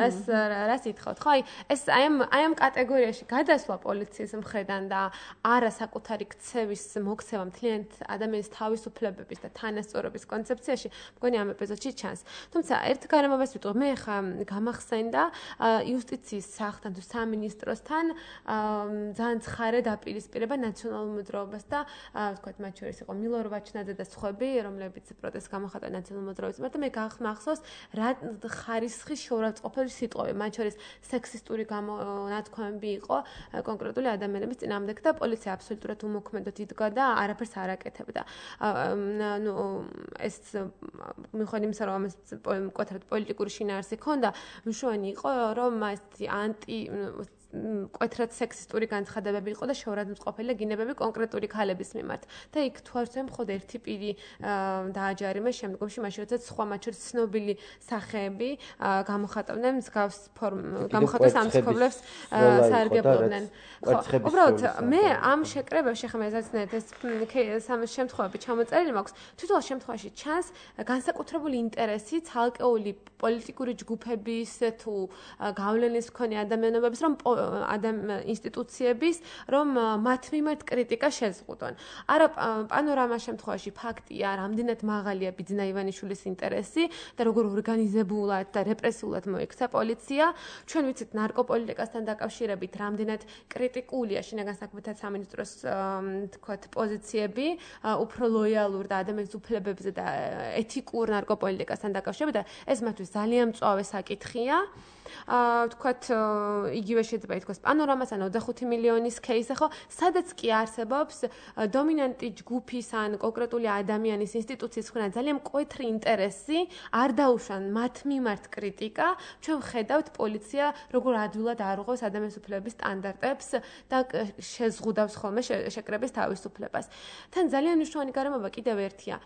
[SPEAKER 4] ეს რა სიტყვით ხო ეს აი ამ კატეგორიაში გადასვლა პოლიციის მხრიდან და არა საკუთარი ქცევის მოქცევა მთლიანად ადამიანის თავისუფლებების და თანასწორობის კონცეფციაში, მგონი ამ ეპიზოდში ჩანს. თუმცა ერთ გარემოებას ვიტყვი, მე ხა გამახსენდა იუსტიციის სახლთან თუ სამინისტროსთან ძალიან ცხარე დაპირისპირება ნაციონალურ მოძრაობას და ვთქვათ, მათ შორის იყო მილორ ვაჩნაძე და სხვები, რომლებიც პროტესტს გამოხატავენ ნაციონალურ მოძრაობის მიმართ და მე გახსოვს რა ხარისხის შეურაცხყოფელი სიტყვები, მათ შორის სექსისტური განათქმები იყო კონკრეტული ადამიანების წინააღმდეგ და პოლიცია აბსოლუტურად უმოქმედოდ იდგა და არაფერს არ აკეთებდა. ეს მიუხედავად იმისა, რომ ამას მკვეთრად პოლიტიკური შინაარსი ჰქონდა, მნიშვნელოვანი იყო, რომ ეს მკვეთრად სექსისტური განცხადებები იყო და შეურაცხყოფელი გინებები კონკრეტული ქალების მიმართ. და იქ თუ არ ვცემ, მხოლოდ ერთი პირი დააჯარიმა შემდგომში, მაშინ როდესაც სხვა მათ შორის ცნობილი სახეები გამოხატავდნენ მსგავს გამოხატვის ამ ცხოვრებს საარგებლობდნენ. უბრალოდ მე ამ შეკრებებში ხომ ესაცნეთ ეს სამ შემთხვევაში ჩამოწერილი მაქვს. თვითონ შემთხვევაში ჩანს განსაკუთრებული ინტერესი ცალკეული პოლიტიკური ჯგუფების თუ გავლენის მქონე ადამიანების რომ ინსტიტუციების რომ მათ მიმართ კრიტიკა შეზღუდონ. არა პანორამას შემთხვევაში ფაქტია, რამდენად მაღალია ბიძინა ივანიშვილის ინტერესი და როგორ ორგანიზებულად და რეპრესიულად მოიქცა პოლიცია. ჩვენ ვიცით ნარკოპოლიტიკასთან დაკავშირებით რამდენად კრიტიკულია შინაგან საქმეთა სამინისტროს თქვათ პოზიციები, უფრო ლოიალურ და ადამიანის უფლებებზე და ეთიკურ ნარკოპოლიტიკასთან დაკავშირებით და ეს მათთვის ძალიან მწვავე საკითხია. ვთქვათ, იგივე შეიძლება ითქვას პანორამას ან 25 მილიონის кейსი, ხო, სადაც კი არსებობს დომინანტი ჯგუფის ან კონკრეტული ადამიანის ინსტიტუციის მხრიდან ძალიან მკვეთრი ინტერესი, არ დაუშვან მათ მიმართ კრიტიკა, ჩვენ ვხედავთ პოლიცია როგორ ადვილად არღვევს ადამიანის უფლებების სტანდარტებს და შეზღუდავს ხოლმე შეკრების თავისუფლებას. თან ძალიან მნიშვნელოვანი გარემოება კიდევ ერთია.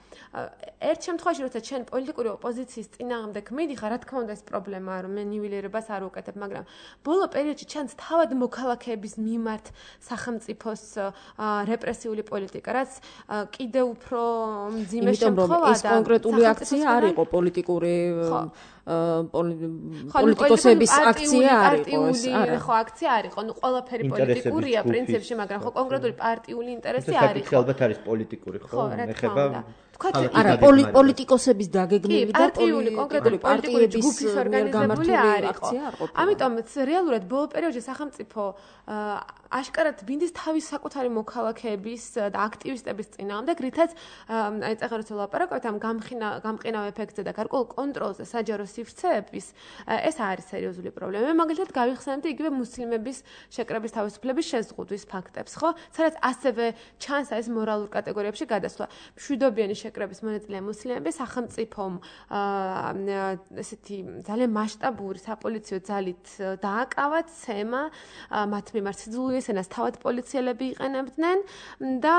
[SPEAKER 4] ერთ შემთხვევაში, როცა ჩვენ პოლიტიკური ოპოზიციის წინააღმდეგ მიდიხარ, რა თქმა უნდა ეს პრობლემაა, რომ მე ნივილირებას არ ვუკეთებ, მაგრამ ბოლო პერიოდში ჩანს თავად მოქალაქეების მიმართ სახელმწიფოს რეპრესიული პოლიტიკა, რაც კიდევ უფრო მძიმე შემთხვევაა და
[SPEAKER 2] კონკრეტული აქცია არ იყო პოლიტიკური პოლიტიკოსების აქცია არ იყო ეს არა
[SPEAKER 4] ხო აქცია არ იყო ნუ ყველაფერი პოლიტიკურია პრინციპში მაგრამ ხო კონკრეტული პარტიული ინტერესი არ იყო
[SPEAKER 3] ალბათ არის პოლიტიკური ხო ეხება
[SPEAKER 2] არა პოლიტიკოსების დაგეგმილი და
[SPEAKER 4] კონკრეტული პოლიტიკური ჯგუფის ორგანიზებული არ იყო ამიტომ რეალურად ბოლო პერიოდში სახელმწიფო აშკარად ბინდის თავის საკუთარი მოქალაქეების და აქტივისტების წინააღმდეგ რითაც აი წაღა როცა ლაპარაკობთ ამ გამყინავ ეფექტზე და გარკვეულ კონტროლზე საჯარო სივრცეების ეს არის სერიოზული პრობლემა. მე მაგალითად გავიხსენებდი იგივე მუსლიმების შეკრების თავისუფლების შეზღუდვის ფაქტებს, ხო? სადაც ასევე ჩანს ეს მორალურ კატეგორიებში გადასვლა. მშვიდობიანი შეკრების მონაწილე მუსლიმები სახელმწიფომ ესეთი ძალიან მასშტაბური საპოლიციო ძალით დააკავათ ცემა მათ მიმართ სიძულვილისენას თავად პოლიციელები იყენებდნენ და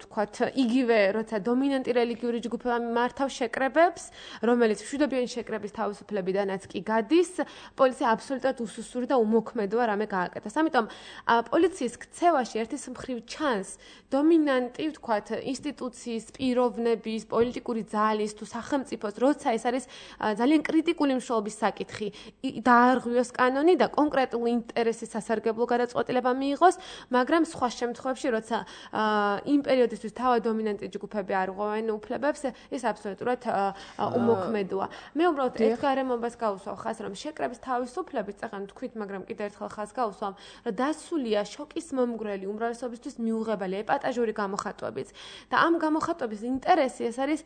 [SPEAKER 4] თქვათ იგივე როცა დომინანტი რელიგიური ჯგუფები მართავს შეკრებებს, რომელიც მშვიდობიანი შეკრების თავისუფლებიდანაც კი გადის, პოლიცია აბსოლუტურად უსუსური და უმოქმედოა რამე გააკეთოს. ამიტომ პოლიციის ქცევაში ერთის მხრივ ჩანს დომინანტი, ვთქვათ, ინსტიტუციის, პიროვნების, პოლიტიკური ძალის თუ სახელმწიფოს, როცა ეს არის ძალიან კრიტიკული მნიშვნელობის საკითხი, დაარღვიოს კანონი და კონკრეტული ინტერესის სასარგებლო გადაწყვეტილება მიიღოს, მაგრამ სხვა შემთხვევებში, როცა იმ პერიოდისთვის თავად დომინანტი ჯგუფები არღვევენ უფლებებს, ეს აბსოლუტურად უმოქმედოა. მე უბრალოდ ერთ გარემობას გავუსვამ ხას, რომ შეკრების თავისუფლებით, წაღან თქვით, მაგრამ კიდევ ერთხელ ხას გავუსვამ, რომ დასულია შოკის მომგვრელი უმრავლესობისთვის მიუღებელი ეპატაჟური გამოხატვებიც. და ამ გამოხატვების ინტერესი ეს არის,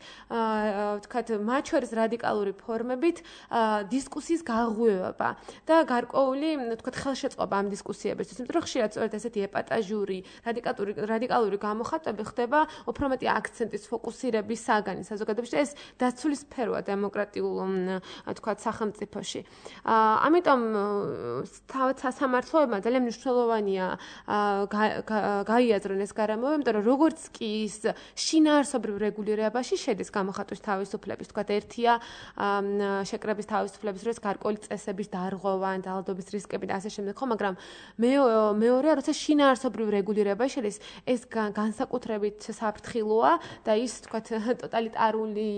[SPEAKER 4] ვთქვათ, მათ შორის რადიკალური ფორმებით დისკუსიის გაღვივება და გარკვეული, ვთქვათ, ხელშეწყობა ამ დისკუსიებისთვის. იმიტომ რომ ხშირად სწორედ ესეთი ეპატაჟური, რადიკალური გამოხატვები ხდება უფრო მეტი აქცენტის ფოკუსირების საგანი საზოგადოებაში და ეს დაცული სფეროა დემოკრატიულ, ვთქვათ, სახელმწიფოში. ამიტომ თავად სასამართლოებმა ძალიან მნიშვნელოვანია გაიაზრონ ეს გარემოება, იმიტომ რომ როგორც კი ის შინაარსობრივ რეგულირებაში შედის გამოხატვის თავისუფლების, ვთქვათ, ერთია შეკრების თავისუფლების დროს გარკვეული წესების დარღვევა, ძალადობის რისკები და ასე შემდეგ, ხო, მაგრამ მეორე მეორეა, როცა შინაარსობრივ რეგულირება შედის, ეს განსაკუთრებით საფრთხილოა და ის თქვათ ტოტალიტარული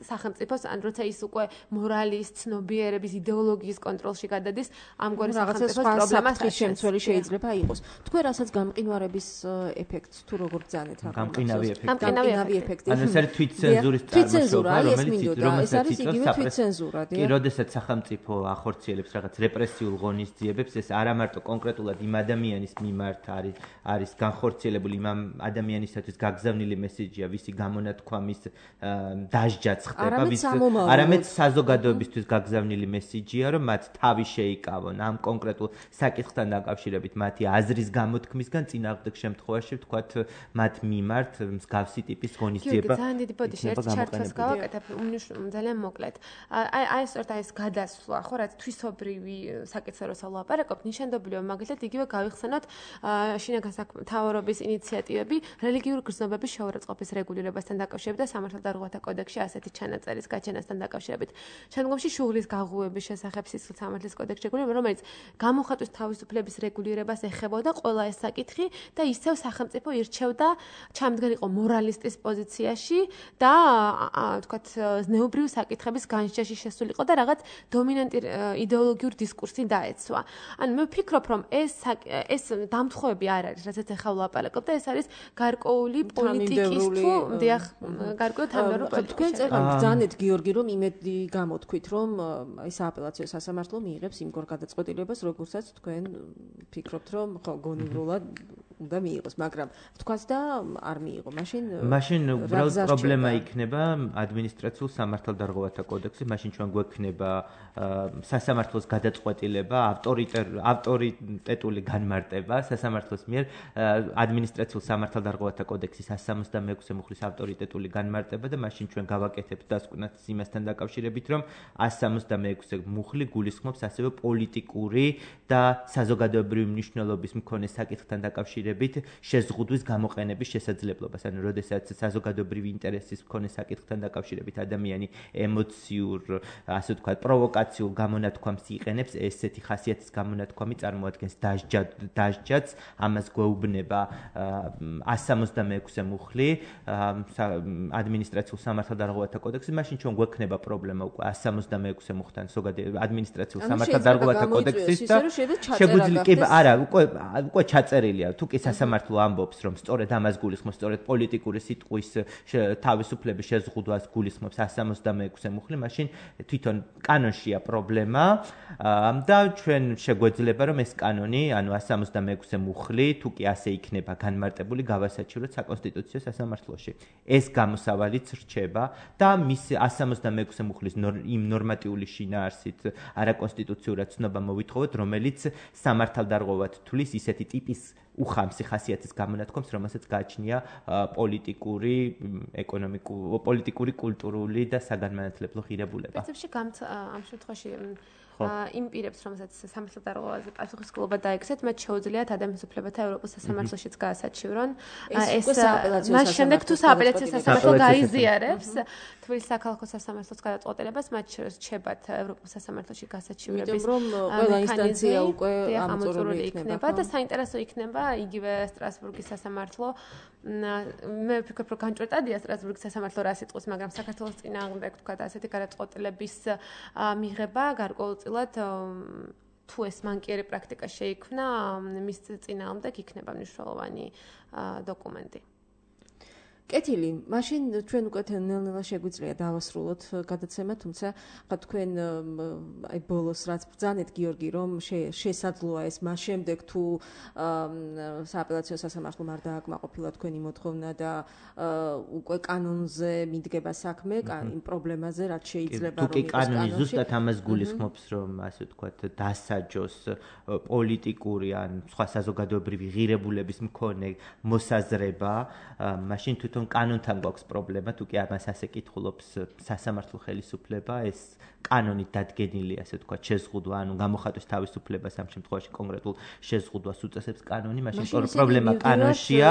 [SPEAKER 4] სახელმწიფოს, ან როცა ის უკვე მორალის, ცნობიერების, იდეოლოგიის კონტროლში გადადის, ამგვარი სახელმწიფოს პრობლემას
[SPEAKER 2] შემცველი შეიძლება იყოს. თქვენ რასაც გამყინვარების ეფექტს თუ როგორ ბრძანეთ აქ?
[SPEAKER 3] გამყინავი ეფექტი. ანუ ეს არის თვითცენზურის წარმოშობა, რომელიც
[SPEAKER 2] არის იგივე თვითცენზურა,
[SPEAKER 3] კი, როდესაც სახელმწიფო ახორციელებს რაღაც რეპრესიულ ღონისძიებებს, ეს არა მარტო კონკრეტულად იმ ადამიანის მიმართ არის განხორციელებული, იმ ადამიანისათვის გაგზავნილი მესიჯია, ვისი გამონათქვამის დასჯაც ხდება, არამედ საზოგადოებისთვის გაგზავნილი მესიჯია, რომ მათ თავი შეიკავონ ამ კონკრეტულ საკითხთან დაკავშირებით, მათი აზრის გამოთქმისგან წინააღმდეგ შემთხვევაში ვთქვათ, მათ მიმართ მსგავსი ტიპის ღონისძიება.
[SPEAKER 4] ძალიან დიდი ბოდიში ერთ ჩარტს გავაკეთებ, ძალიან მოკლედ. აი სწორედ ეს გადასვლა, ხო, რაც თვისობრივი საკითხზე როცა ვლაპარაკობ, ნიშანდობლივია მაგალითად იგივე გავიხსენოთ შინაგან საქმეთა ინიციატივები რელიგიური გრძნობების შეურაცხყოფის რეგულირებასთან დაკავშირებით და სამართალდარღვევათა კოდექსში ასეთი ჩანაწერის გაჩენასთან დაკავშირებით. შემდგომში შუღლის გაღუების შესახებ სისხლის სამართლის კოდექსში რეგულირება, რომელიც გამოხატვის თავისუფლების რეგულირებას ეხებოდა ყველა ეს საკითხი და ისევ სახელმწიფო ირჩევდა ჩამდგენილიყო მორალისტის პოზიციაში და თქვათ ზნეობრივი საკითხების განსჯაში შესულიყო და რაღაც დომინანტი იდეოლოგიური დისკურსი დაეცვა. ანუ მე ვფიქრობ, რომ ეს დამთხოვები არ არის, რასაც ახლა ვლაპარაკობ და ეს არის გარკვეული პოლიტიკის თუ დიახ, გარკვეული თანმიმდევრო პოლიტიკის.
[SPEAKER 2] თქვენ წერან ბრძანეთ გიორგი, რომ იმედი გამოთქვით, რომ აი სააპელაციო სასამართლო მიიღებს იმგორ გადაწყვეტილებას, როგორცაც თქვენ ფიქრობთ, რომ ხო გონივრულად უნდა მიიღოს, მაგრამ თქვაც და არ მიიღო.
[SPEAKER 3] მაშინ უბრალოდ პრობლემა იქნება ადმინისტრაციულ სამართალდარღვევათა კოდექსში, მაშინ ჩვენ გვექნება სასამართლოს გადაწყვეტილება, ავტორიტეტული განმარტება სასამართლოს მიერ ადმინისტრაციულ სამართალდარღვევათა კოდექსის 166 მუხლის ავტორიტეტული განმარტება და მაშინ ჩვენ გავაკეთებთ დასკვნას იმასთან დაკავშირებით, რომ 166 მუხლი გულისხმობს ასევე პოლიტიკური და საზოგადოებრივი მნიშვნელობის მქონე საკითხთან დაკავშირებით შეზღუდვის გამოყენების შესაძლებლობას. ანუ როდესაც საზოგადოებრივი ინტერესის მქონე საკითხთან დაკავშირებით ადამიანი ემოციურ, ასე ვთქვათ, პროვოკაციულ გამონათქვამს იყენებს, ესეთი ხასიათის გამონათქვამი წარმოადგენს დასჯადს, ამას გვეუბნება 166 მუხლი ადმინისტრაციულ სამართალდარღვევათა კოდექსში, მაშინ ჩვენ გვექნება პრობლემა უკვე 166 მუხთან ადმინისტრაციულ სამართალდარღვევათა კოდექსის და შეგვიძლია არა, უკვე ჩაწერილია, თუ კი სასამართლო ამბობს, რომ სწორედ ამას გულისხმობს, სწორედ პოლიტიკური სიტყვის თავისუფლების შეზღუდვას გულისხმობს 166 მუხლი, მაშინ თვითონ კანონშია პრობლემა და ჩვენ შეგვეძლება, რომ ეს კანონი, ანუ 166 მუხლი, თუ კი ასე იქნება განმარტებული, გავასაჩივროთ საკონსტიტუციო სასამართლოში. ეს გამოსავალიც რჩება და მის 166 მუხლის იმ ნორმატიული შინაარსით არაკონსტიტუციურად ცნობა მოვითხოვოთ, რომელიც სამართალდარღვევად თulis ისეთი ტიპის უხამსი ხასიათის გამონათქვამს, რომელსაც გააჩნია პოლიტიკური, კულტურული და საგანმანათლებლო ღირებულება.
[SPEAKER 4] პრინციპში ამ შემთხვევაში იმ პირებს, რომელსაც სამართალდარღვევაზე პასუხისმგებლობა დაექცეთ, მათ შეუძლიათ ადამიანის უფლებათა ევროპის სასამართლოშიც გაასაჩივრონ. ეს მას შემდეგ თუ სააპელაციო სასამართლო გაიზიარებს თბილისის საქალაქო სასამართლოს გადაწყვეტილებას, მათ რჩებათ ევროპის სასამართლოში გასაჩივრების
[SPEAKER 2] ინსტანცია უკვე
[SPEAKER 4] ამოწურული იქნება და საინტერესო იქნება იგივე სტრასბურგის სასამართლო. მე ვფიქრობ, რომ განჭვრეტადია სტრასბურგის სასამართლო რა სიტყვის, მაგრამ საქართველოს წინააღმდეგ თქვა ასეთი გადაწყვეტილების მიღება გარკვეულწილად თუ ეს მანკიერი პრაქტიკა შეიქმნა, მის წინააღმდეგ იქნება მნიშვნელოვანი დოკუმენტი.
[SPEAKER 2] კეთილი, მაშინ ჩვენ უკვე ნელ-ნელა შეგვიძლია დავასრულოთ გადაცემა, თუმცა ხა თქვენ აი ბოლოს რაც ბრძანეთ გიორგი, რომ შესაძლოა ეს მას შემდეგ თუ სააპელაციო სასამართლომ არ დააკმაყოფილა თქვენი მოთხოვნა და უკვე კანონზე მიდგება საქმე, იმ პრობლემაზე რაც შეიძლება
[SPEAKER 3] რომ იყოს კანონში. თუ კი კანონი ზუსტად ამას გულისხმობს, რომ ასე ვთქვათ, დასაჯოს პოლიტიკური ან სხვა საზოგადოებრივი ღირებულების მქონე მოსაზრება, მაშინ თუ თვითონ კანონთან გვაქვს პრობლემა, თუ კი ამას ასე კითხულობს სასამართლო ხელისუფლება, ეს კანონით დადგენილი, ასე ვთქვათ, შეზღუდვა, ანუ გამოხატვის თავისუფლებას ამ შემთხვევაში კონკრეტულ შეზღუდვას უწესებს კანონი, მაშინ პრობლემა კანონშია.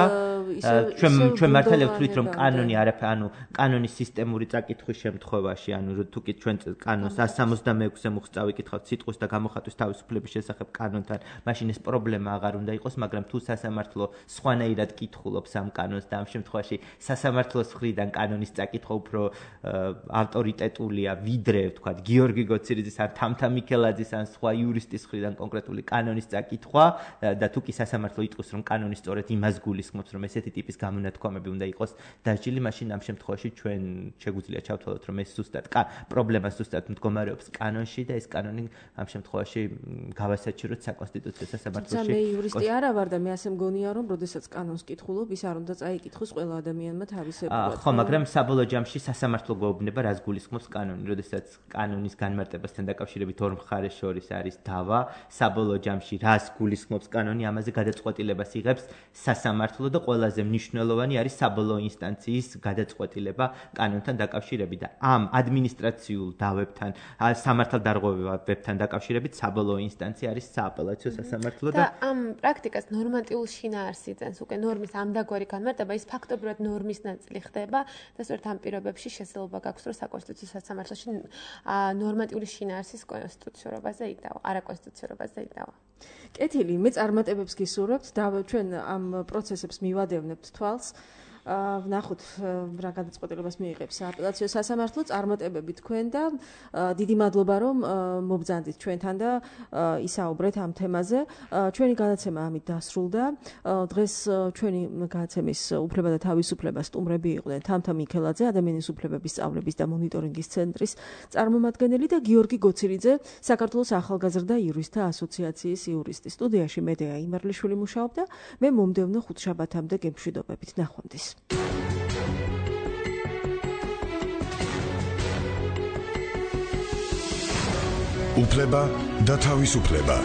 [SPEAKER 3] ჩვენ მართალია ვთვლით, რომ კანონი არაფერი, ანუ კანონის სისტემური წაკითხვის შემთხვევაში, ანუ თუ კი ჩვენ კანონს 166-ზე მოხსწავ ვიკითხავთ სიტყვის და გამოხატვის თავისუფლების შესახებ კანონთან, მაშინ ეს პრობლემა აღარ უნდა იყოს, მაგრამ თუ სასამართლო სხვანაირად კითხულობს ამ კანონს და ამ შემთხვევაში სასამართლოს მხრიდან კანონის წაკითხვა უფრო ავტორიტეტულია, ვიდრე, ვთქვათ, გიორგი გოცირიძის ან თამთა მიქელაძის ან სხვა იურისტის მხრიდან კონკრეტული კანონის წაკითხვა და თუ კი სასამართლო იტყვის, რომ კანონი სწორედ იმას გულისხმობს, რომ ესეთი ტიპის გამონათქვამები უნდა იყოს დასჯილი, მაშინ ამ შემთხვევაში ჩვენ შეგვიძლია ჩავთვალოთ, რომ ეს ზუსტად პრობლემა ზუსტად მდგომარეობს კანონში და ეს კანონი ამ შემთხვევაში გავასაჩივროთ საკონსტიტუციო სასამართლოში.
[SPEAKER 2] მე იურისტი არა ვარ და მე ასე მგონია, რომ როდესაც კანონს კითხულობ, ის არ უნდა წაიკითხოს ყველა ადამიანმა თავისებურად.
[SPEAKER 3] ხო, მაგრამ საბოლოო ჯამში სასამართლო გვეუბნება, რას გულისხმობს კანონი, როდესაც კანონის განმარტებასთან დაკავშირებით ორ მხარეს შორის არის დავა, საბოლოო ჯამში რას გულისხმობს კანონი, ამაზე გადაწყვეტილებას იღებს სასამართლო და ყველაზე მნიშვნელოვანი არის საბოლოო ინსტანციის გადაწყვეტილება კანონთან დაკავშირებით და ამ ადმინისტრაციულ დავებთან, სამართალდარღვევებთან დაკავშირებით საბოლოო ინსტანცია არის სააპელაციო სასამართლო
[SPEAKER 4] და ამ პრაქტიკას ნორმატიულ შინაარსს იძენს უკვე ნორმის ამდაგვარი განმარტება, ის ფაქტობრივად ნორმის ნაწილი ხდება და სწორედ ამ პირობებში შესაძლებლობა გაქვს, რომ საკონსტიტუციო სასამართლოში ნორმატიული შინაარსის კონსტიტუციურობაზე იდავა, არაკონსტიტუციურობაზე იდავა.
[SPEAKER 2] კეთილი, მე წარმატებებს გისურვებთ და ჩვენ ამ პროცესებს მივადევნებთ თვალს. ვნახოთ რა გადაწყვეტილებას მიიღებს სააპელაციო სასამართლო, წარმატებები თქვენ და დიდი მადლობა რომ მობრძანდით ჩვენთან და ისაუბრეთ ამ თემაზე. ჩვენი გადაცემა ამით დასრულდა. დღეს ჩვენი გადაცემის უფლება და თავისუფლება სტუმრები იყვნენ თამთა მიქელაძე, ადამიანის უფლებების სწავლების და მონიტორინგის ცენტრის წარმომადგენელი და გიორგი გოცირიძე, საქართველოს ახალგაზრდა იურისტთა ასოციაციის იურისტი. სტუდიაში მედეა იმერლიშვილი მუშაობდა. მე მომდევნო ხუთშაბათამდე გემშვიდობებით. ნახვამდის.
[SPEAKER 1] უფლება და თავისუფლება.